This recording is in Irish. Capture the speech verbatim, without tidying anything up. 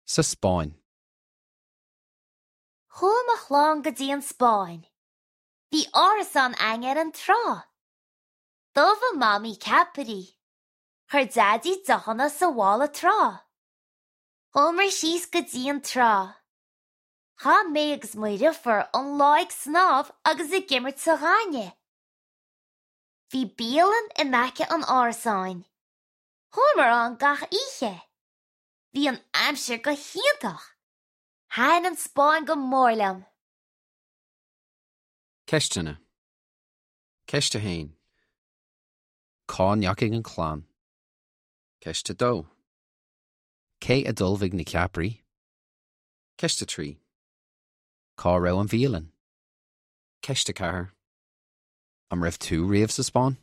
Sa Spáinn. Chuaigh mo chlann go dtí an Spáinn. Bhí árasán againn ar an trá. D'ullmhaigh Mamaí ceapairí. Chuir Daidí deochanna sa mhála trá. Chuamar síos go dtí an trá. Chaith mé agus mo dheirfiúr an lá ag snámh agus ag imirt sa ghaineamh. Bhí bialann in aice an árasáin. Chuamar ann gach oíche. Bhí an aimsir go hiontach. Thaitin an Spáinn go mór liom. Ceisteanna. Ceist a haon. Cá ndeachaigh an chlann. Ceist a dó. Cé a d'ullmhaigh na ceapairí? Ceist a trí. Cá raibh an bhialann? Ceist a ceathair. An raibh tú riamh sa Spáinn?